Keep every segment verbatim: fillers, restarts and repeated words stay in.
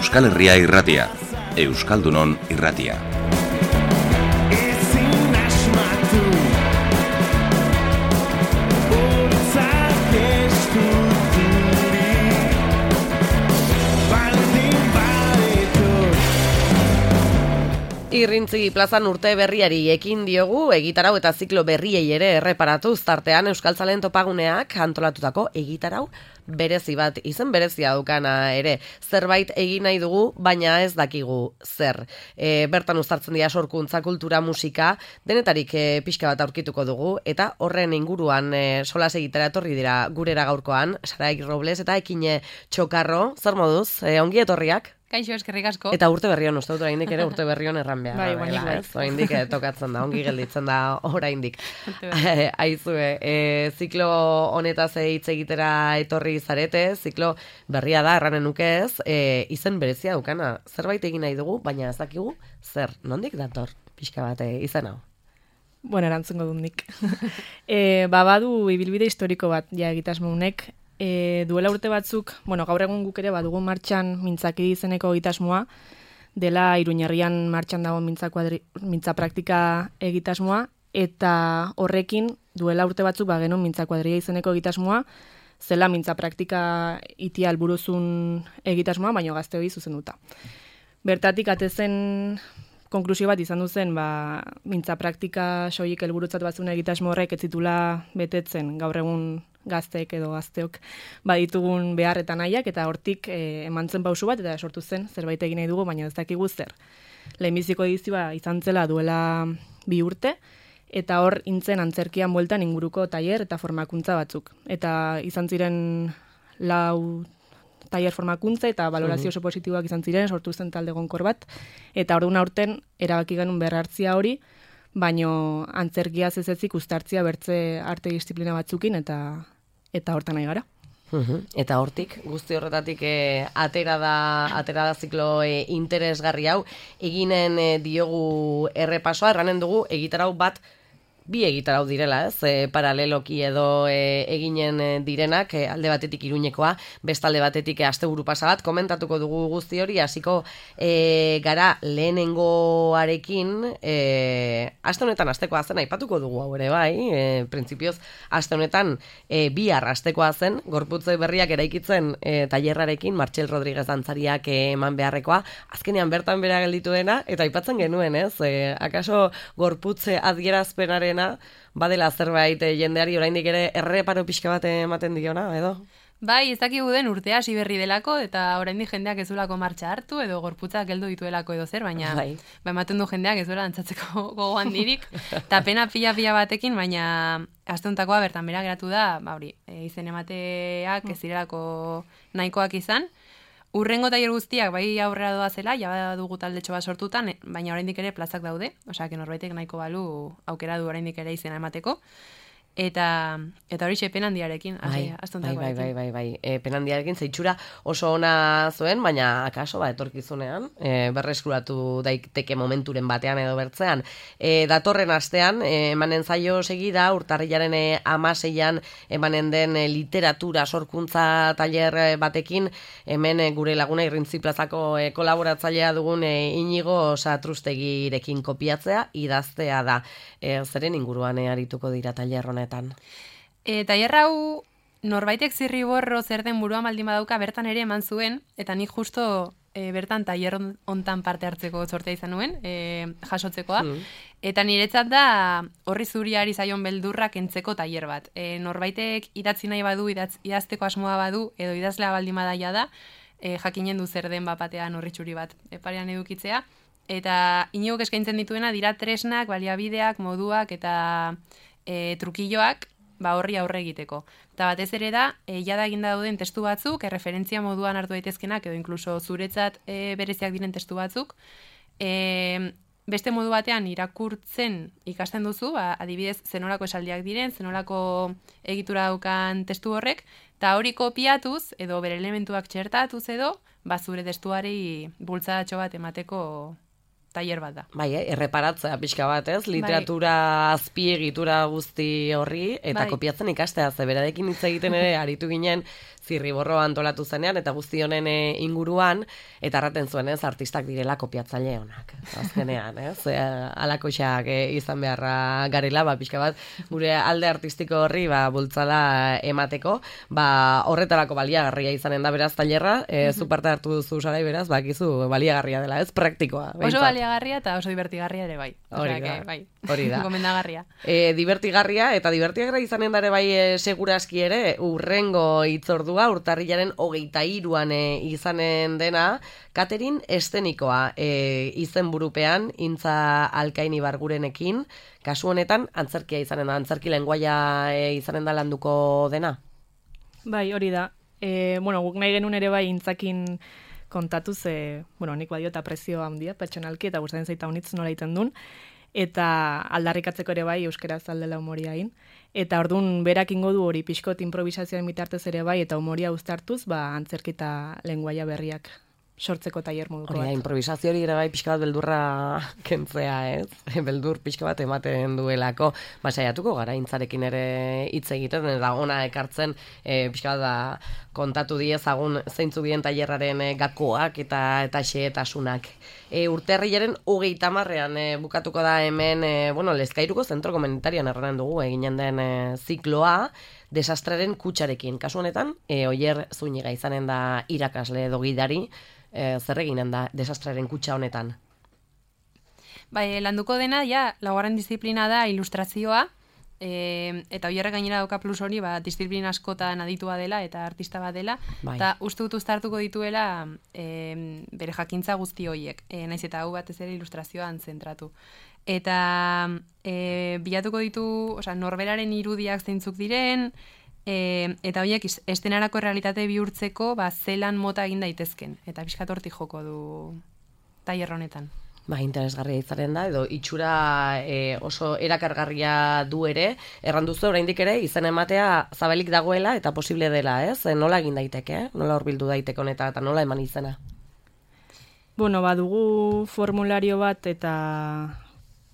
Euskal Herria irratia, Euskaldunon irratia. Irrintzi plazan urte berriari ekin diogu, egitarau eta ziklo berriei ere erreparatuz, tartean Euskaltzaleen topaguneak antolatutako egitarau berezi bat, izen berezia daukana ere, zerbait egin nahi dugu, baina ez dakigu zer. E, bertan uztartzen dira sorkuntza, kultura, musika, denetarik e, pixka bat aurkituko dugu, eta horren inguruan e, solas egitera etorri dira gurera gaurkoan, Sarai Robles eta Ekine Txokarro, zer moduz, e, ongi etorriak? Kaixo, eskerrik asko. Eta urte berrion, uste dut oraindik ere urte berrion erran behar. Bai, baina bai. Oraindik tokatzen da, ongi gelditzen da oraindik. Aizue, e, ziklo honetaz hitz egitera etorri zarete, ziklo berria da, erranen nuke ez, e, izen berezia daukana, zerbait egin nahi dugu, baina ez dakigu zer, nondik dator, pixka bat e, izen hau? Bueno, erantzungo dut nik. e, babadu ibilbide historiko bat, ja egitasmo honek, E, duela urte batzuk, bueno, gaur egun guk ere badugu martxan mintzaki izeneko egitasmoa, dela Iruñerrian martxan dago mintza, kuadri, mintza praktika egitasmoa, eta horrekin duela urte batzuk bagenun mintza kuadria izeneko egitasmoa, zela mintza praktika itia helburuzun egitasmoa, baino gazte hori zuzenduta. Bertatik atezen konklusio bat izan duzen, ba, mintza praktika soilik helburutzat batzuen egitasmo horrek ez zitula betetzen gaur egun gazteek edo gazteok baditugun behar eta nahiak, eta hortik e, eman zen pausu bat, eta sortu zen zerbait egin nahi dugu, baina ez dakigu zer. Lehenbiziko edizioa izan zela duela bi urte, eta hor intzen antzerkian bueltan inguruko tailer eta formakuntza batzuk. Eta izan ziren lau tailer formakuntza eta valorazio oso positiboak izan ziren, sortu zen talde gonkor bat, eta orduan aurten erabaki genuen berrartzia hori, baino antzerkia zezezik uztartzia bertze arte disiplina batzukin, eta eta hortan nahi gara. Uhum. Eta hortik, guzti horretatik e, atera da atera da ziklo e, interesgarri hau, eginen e, diogu errepasoa, erranen dugu egitarau bat, bi egitarau direla, ez, e, paraleloki edo e, eginen e, direnak, e, alde batetik Iruñekoa, bestalde batetik e, asteburu pasa bat, komentatuko dugu guzti hori, hasiko e, gara lehenengoarekin, e, aste honetan astekoa zen, aipatuko dugu hau ere bai, e, printzipioz, aste honetan e, bihar astekoa zen, gorputze berriak eraikitzen e, tailerrarekin, Martxel Rodríguez dantzariak e, eman beharrekoa, azkenean bertan bera gelditu dena, eta aipatzen genuen, ez, e, akaso gorputze adierazpenaren badela zerbait jendeari oraindik ere erreparo pixka bat ematen diona, edo? Bai, ez dakigu den urtea hasi berri delako, eta oraindik jendeak ez duelako martxa hartu, edo gorputzak geldo dituelako edo zer, baina bai. Ba, ematen du jendeak ez duela antzatzeko gogoan dirik, eta pena pila-pila batekin, baina asteuntakoa bertan bera geratu da, ba hori, e, izen emateak ez direlako nahikoak izan. Urrengo tailer guztiak bai aurrera doa zela, ja dugu taldetxo bat sortutan, baina oraindik ere plazak daude, osea, que norbaitek nahiko balu aukera du oraindik ere izena emateko. Eta eta hori penandiarekin, bai, bai, bai, bai, bai, bai. E, penandiarekin zeitxura oso ona zuen, baina akaso ba etorkizunean, e, berreskuratu daiteke momenturen batean edo bertzean. E, datorren astean, e, emanen zaio segida, urtarrilaren e, amaseian emanen den e, literatura sorkuntza tailer batekin, hemen e, gure laguna Irrintzi plazako e, kolaboratzailea dugun e, Inigo Satrustegirekin kopiatzea, idaztea da. E, zeren inguruan e, arituko dira tailer honetan. E, tailer hau norbaitek zirriborro zer den buruan baldin badauka bertan ere eman zuen, eta nik justo e, bertan tailer hontan parte hartzeko sortea izan nuen, e, jasotzekoa, mm. eta niretzat da horri zuriari zaion beldurrak kentzeko tailer bat. E, norbaitek idatzi nahi badu, idatz, idazteko asmoa badu, edo idazlea baldin badaia da, e, jakinen du zer den bapatean horri txuri bat e, parean edukitzea, eta Inigok eskaintzen dituena dira tresnak, baliabideak, moduak eta E, trukilloak ba horri aurre egiteko. Eta batez ere da, e, jada eginda dauden testu batzuk, erreferentzia moduan hartu daitezkenak, edo inkluso zuretzat e, bereziak diren testu batzuk, e, beste modu batean irakurtzen ikasten duzu, ba, adibidez, zenolako esaldiak diren, zenolako egitura daukan testu horrek, eta hori kopiatuz, edo bere elementuak txertatuz edo, ba zure testuari bultzadatxo bat emateko tailer bat da. Bai, eh? Erreparatzea pixka bat, ez? Literatura azpiegitura guzti horri, eta Bai. kopiatzen ikastea, ze berarekin hitz egiten ere aritu ginen zirriborro antolatu zenean, eta guzti honen eh, inguruan, eta erraten zuen, ez, artistak direla kopiatzaile honak. Azkenean, ez? E, alakoxak eh, izan beharra garela, ba, pixka bat, gure alde artistiko horri, ba, bultzada emateko, ba, horretarako baliagarria izanen da beraz tailerra, e, zu parte hartu duzu sarai beraz, bakizu baliagarria dela, ez? Praktikoa. Oso behintzat. baliagarria eta oso divertigarria ere bai. Hori Osea, da, que, bai. hori da. Gomendagarria. E, divertigarria, eta divertigarria izanen dare bai e, seguraski ere, urrengo hitzordua, urtarrilaren hogeita hiruan e, izanen dena, Katerin estenikoa e, izenburupean, Intza Alkaini Bargurenekin, kasu honetan, antzerkia izanen da, antzerki lenguaia e, izanen da landuko dena? Bai, hori da. E, bueno, guk nahi genuen ere bai intzakin kontatu ze, bueno, nik badio eta prezio handia, pertsonalki, eta gustatzen zaita honitz nola egiten duen, eta aldarrikatzeko ere bai euskaraz aldela humoria egin. Eta ordun berak ingo du hori pixkot improvisazioen bitartez ere bai, eta humoria uztartuz, ba, antzerki eta lenguaia berriak sortzeko tailer moduko Hori da, bat. improvisazio hori ere bai pixka bat beldurra kentzea, ez? Beldur pixka bat ematen duelako. Ba, saiatuko gara intzarekin ere hitz egiten, eta ona ekartzen e, pixka bat da, kontatu diezagun zeintzu bien tailerraren e, gakoak eta eta xehetasunak. E, urterrilaren hogeita hamarrean e, bukatuko da hemen, e, bueno, Lezkairuko zentro komunitarian erranen dugu eginen den e, zikloa, desastraren kutxarekin. Kasu honetan, e, Oier Zuniga izanen da irakasle edo gidari, e, zer eginen da desastraren kutxa honetan. Bai, landuko dena, ja, laugarren disiplina da ilustrazioa, e, eta Oierrek gainera dauka plus hori, ba, disiplina askotan aditua dela eta artista bat dela, Bai. eta uste dut uztartuko dituela e, bere jakintza guzti horiek, e, naiz eta hau batez ere ilustrazioan zentratu. Eta e, bilatuko ditu, osea, norberaren irudiak zeintzuk diren, e, eta horiek is- estenarako realitate bihurtzeko ba, zelan mota egin daitezken. Eta pixkat hortik joko du tailer honetan. Ba, interesgarria izanen da, edo itxura e, oso erakargarria du ere, erran duzu oraindik ere, izan ematea zabalik dagoela eta posible dela, ez? E, nola egin daiteke, nola horbildu daiteke honeta eta nola eman izena? Bueno, badugu formulario bat eta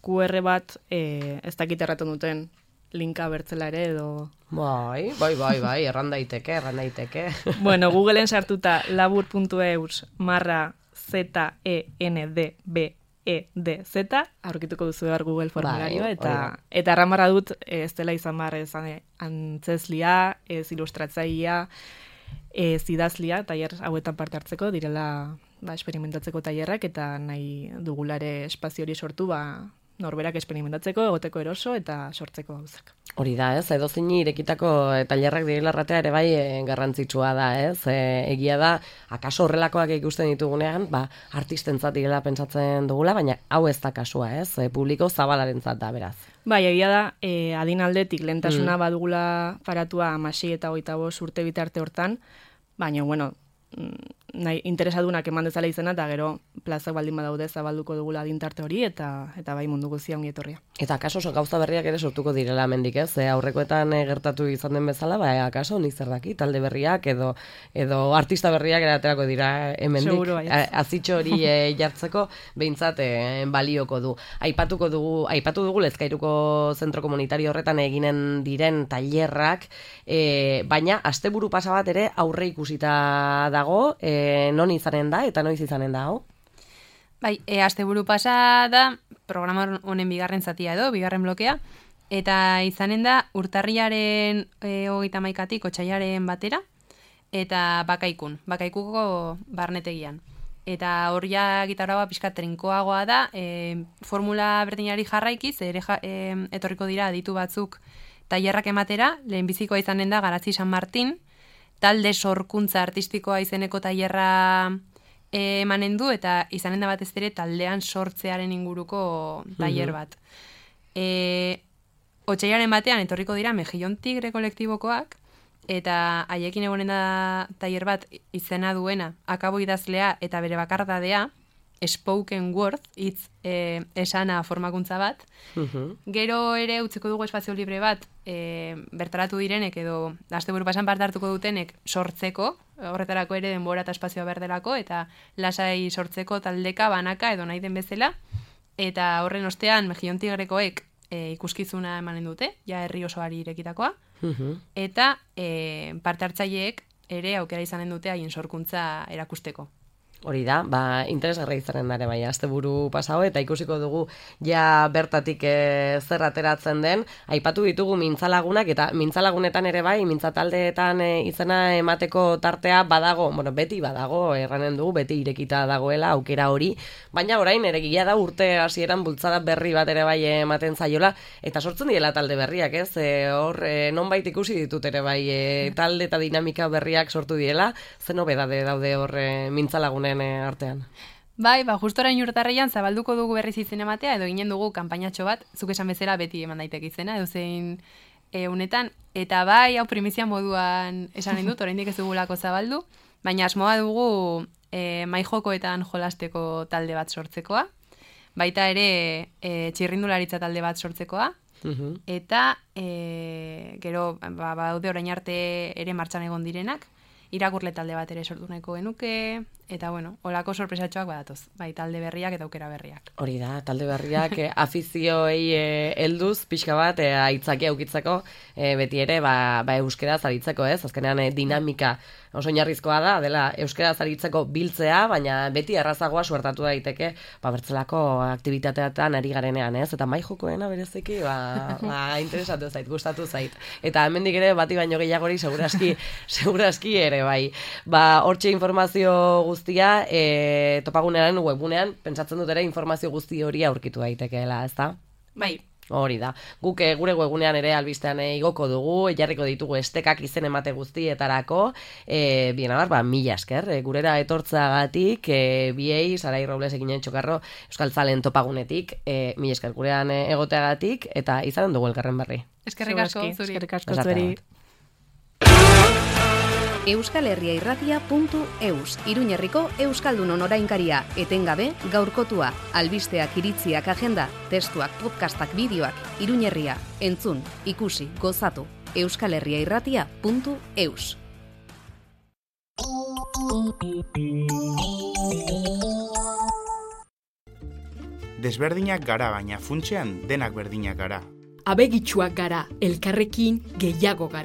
Q R bat, e, ez dakit erraten duten linka bertzela ere edo... Bai, bai, bai, bai, erran daiteke, erran daiteke. Bueno, Googleen sartuta labur puntu eus marra Z E N D B E D Z, aurkituko duzu behar Google formularioa, Bai, eta, hori da. eta erramarra dut ez dela izan behar ez antzeslia, ez ilustratzailea, ez idazlia, tailer hauetan parte hartzeko, direla ba, esperimentatzeko tailerrak, eta nahi dugulare espazio hori sortu, ba, norberak esperimentatzeko, egoteko eroso, eta sortzeko gauzak. Hori da, ez, edo zeini irekitako tailerrak direla erratea ere bai e, garrantzitsua da, ez, e, egia da, akaso horrelakoak ikusten ditugunean, ba, artistentzat direla pentsatzen dugula, baina hau ez da kasua, ez, e, publiko zabalarentzat da, beraz. Bai, egia da, e, adin aldetik lehentasuna mm. badugula paratua hamasei eta hogeita bost urte bitarte hortan, baina, bueno, nahi, interesadunak eman dezala izena, eta gero plazak baldin badaude zabalduko dugula adintarte hori, eta eta bai mundu guztia ongi etorria. Eta akaso oso gauza berriak ere sortuko direla hemendik, ez? E, aurrekoetan e, gertatu izan den bezala, ba, akaso nik zer daki, talde berriak edo edo artista berriak ere aterako dira hemendik. Seguro, bai. Azitxo hori e, jartzeko behintzat e, balioko du. Aipatuko dugu, aipatu dugu Lezkairuko zentro komunitario horretan eginen diren tailerrak, e, baina asteburu pasa bat ere aurre ikusita dago, e, non izanen da eta noiz izanen da, hau? Bai, e, asteburu pasa da, programa honen bigarren zatia edo, bigarren blokea, eta izanen da urtarriaren e, hogeita hamaikatik otsailaren batera, eta bakaikun, bakaikuko barnetegian. Eta hor ja gitarra pixka trinkoagoa da, e, formula berdinari jarraikiz, ere ja, e, etorriko dira aditu batzuk tailerrak ematera, lehenbizikoa izanen da Garazi San Martin, talde sorkuntza artistikoa izeneko tailerra emanen du, eta izanen da batez ere taldean sortzearen inguruko tailer bat. E, Otsailaren batean etorriko dira Mejillon Tigre kolektibokoak, eta haiekin egonen da tailer bat izena duena, akabo idazlea eta bere bakardadea, spoken word, hitz e, esana formakuntza bat. Uh-huh. Gero ere utziko dugu espazio libre bat, e, bertaratu direnek edo asteburu pasan parte hartuko dutenek sortzeko, horretarako ere denbora eta espazioa berdelako, eta lasai sortzeko taldeka, banaka edo nahi den bezala. eta horren ostean Mejillon Tigrekoek e, ikuskizuna emanen dute, ja herri osoari irekitakoa, eta e, parte hartzaileek ere aukera izanen dute haien sorkuntza erakusteko. Hori da, ba, interesgarra izanen dare bai, asteburu pasao, eta ikusiko dugu ja bertatik e, zer ateratzen den. Aipatu ditugu mintzalagunak, eta mintzalagunetan ere bai, mintzataldeetan e, izena emateko tartea badago, bueno, beti badago, erranen dugu, beti irekita dagoela aukera hori, baina orain ere gila da urte hasieran bultzada berri bat ere bai ematen zaiola, eta sortzen diela talde berriak, ez? E, hor, e, nonbait ikusi ditut ere bai, e, talde eta dinamika berriak sortu diela, zen nobedade daude hor e, mintzalagunen artean. Bai, ba, justo orain urtarrian zabalduko dugu berriz izen ematea, edo ginen dugu kanpainatxo bat, zuk esan bezala beti eman daiteke izena, edo zein e, unetan, eta bai, hau primizia moduan esan dut, oraindik ez dugulako zabaldu, baina asmoa dugu e, maijokoetan jolasteko talde bat sortzekoa, baita ere e, txirrindularitza talde bat sortzekoa, uhum. Eta e, gero, ba, baude orain arte ere martxan egon direnak, irakurle talde bat ere sortu nahiko genuke, eta bueno, olako sorpresatxoak badatoz, bai, talde berriak eta aukera berriak. Hori da, talde berriak eh, afizioei eh, helduz pixka bat eh, aitzakia aukitzeko eh, beti ere ba, ba euskeraz aritzeko, ez? Azkenean eh, dinamika oso oinarrizkoa da, dela euskeraz aritzeko biltzea, baina beti errazagoa suertatu daiteke, ba bertzelako aktibitateetan ari garenean, ez? Eta mai jokoena bereziki, ba, ba interesatu zait, gustatu zait. Eta hemendik ere bati baino gehiagori segurazki, segurazki ere bai. Ba, hortxe informazio guztia e, topagunean webgunean, pentsatzen dut ere informazio guzti hori aurkitu daitekeela, ez da? Bai. Hori da. Guk e, gure webgunean ere albistean e, igoko dugu, jarriko ditugu estekak izen emate guztietarako, e, bien abar, ba, mila esker, e, gurera etortzagatik, e, biei, Sarai Robles eginen txokarro, Euskal Zalen topagunetik, e, mila esker gurean e, egoteagatik, eta izanen dugu elkarren berri. Eskerrik asko, zuri. Eskerrik asko zuri. Euskal Herria Irratia puntu eus, Iruñerriko Euskaldunon orainkaria, etengabe gaurkotua, albisteak, iritziak, agenda, testuak, podcastak, bideoak, Iruñerria, entzun, ikusi, gozatu, Euskal Herria Irratia puntu eus. Desberdinak gara, baina funtsean denak berdinak gara. Abegitsuak gara, elkarrekin gehiago gara.